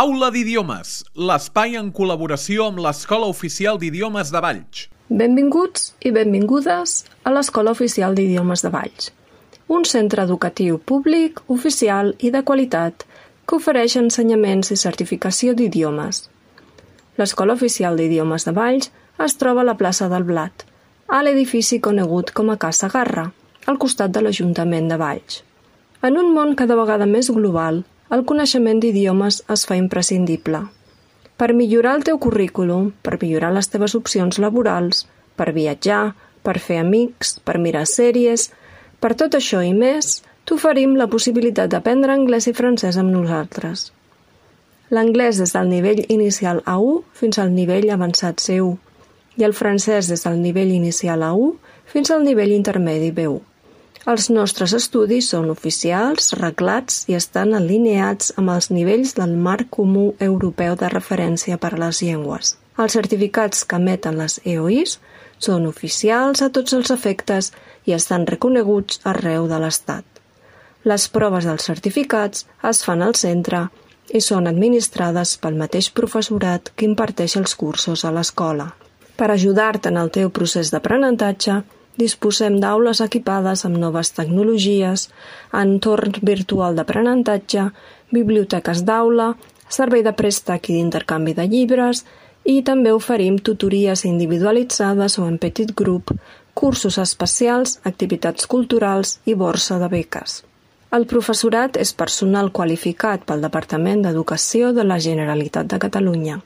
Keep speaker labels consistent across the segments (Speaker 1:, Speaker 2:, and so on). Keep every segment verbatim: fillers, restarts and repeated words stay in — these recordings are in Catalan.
Speaker 1: Aula d'Idiomes, l'espai en col·laboració amb l'Escola Oficial d'Idiomes de Valls.
Speaker 2: Benvinguts i benvingudes a l'Escola Oficial d'Idiomes de Valls, un centre educatiu públic, oficial i de qualitat que ofereix ensenyaments i certificació d'idiomes. L'Escola Oficial d'Idiomes de Valls es troba a la plaça del Blat, a l'edifici conegut com a Casa Garra, al costat de l'Ajuntament de Valls. En un món cada vegada més global, el coneixement d'idiomes es fa imprescindible. Per millorar el teu currículum, per millorar les teves opcions laborals, per viatjar, per fer amics, per mirar sèries, per tot això i més, t'oferim la possibilitat d'aprendre anglès i francès amb nosaltres. L'anglès des del nivell inicial A u fins al nivell avançat C u i el francès des del nivell inicial A u fins al nivell intermedi B u. Els nostres estudis són oficials, reglats i estan alineats amb els nivells del Marc Comú Europeu de Referència per a les Llengües. Els certificats que emeten les E O Is són oficials a tots els efectes i estan reconeguts arreu de l'Estat. Les proves dels certificats es fan al centre i són administrades pel mateix professorat que imparteix els cursos a l'escola. Per ajudar-te en el teu procés d'aprenentatge, disposem d'aules equipades amb noves tecnologies, entorn virtual d'aprenentatge, biblioteques d'aula, servei de préstec i d'intercanvi de llibres i també oferim tutories individualitzades o en petit grup, cursos especials, activitats culturals i borsa de beques. El professorat és personal qualificat pel Departament d'Educació de la Generalitat de Catalunya.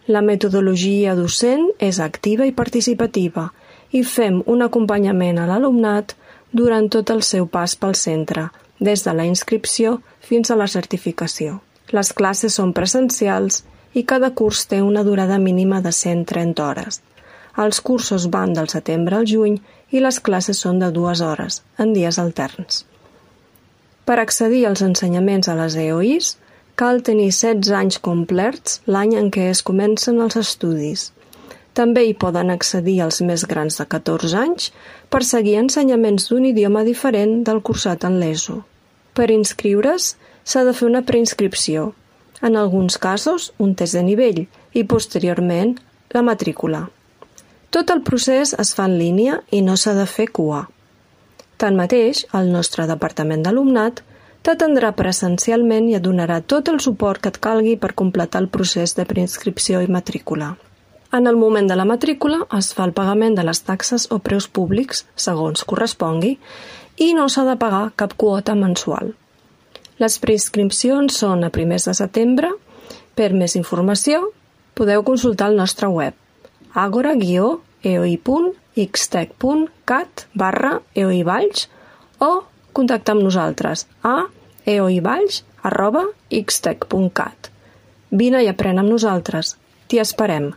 Speaker 2: La metodologia docent és activa i participativa i fem un acompanyament a l'alumnat durant tot el seu pas pel centre, des de la inscripció fins a la certificació. Les classes són presencials i cada curs té una durada mínima de cent trenta hores. Els cursos van del setembre al juny i les classes són de dues hores, en dies alterns. Per accedir als ensenyaments a les E O Is, cal tenir setze anys complerts l'any en què es comencen els estudis. També hi poden accedir els més grans de catorze anys per seguir ensenyaments d'un idioma diferent del cursat en l'E S O. Per inscriure's, s'ha de fer una preinscripció, en alguns casos un test de nivell i, posteriorment, la matrícula. Tot el procés es fa en línia i no s'ha de fer cua. Tanmateix, el nostre departament d'alumnat t'atendrà presencialment i et donarà tot el suport que et calgui per completar el procés de preinscripció i matrícula. En el moment de la matrícula es fa el pagament de les taxes o preus públics, segons correspongui, i no s'ha de pagar cap quota mensual. Les preinscripcions són a primers de setembre. Per més informació, podeu consultar el nostre web agora guió eoi punt ixtec punt cat barra eoivalls o contactar amb nosaltres a eoivalls arroba ixtec punt cat. Vine i aprèn amb nosaltres. T'hi esperem.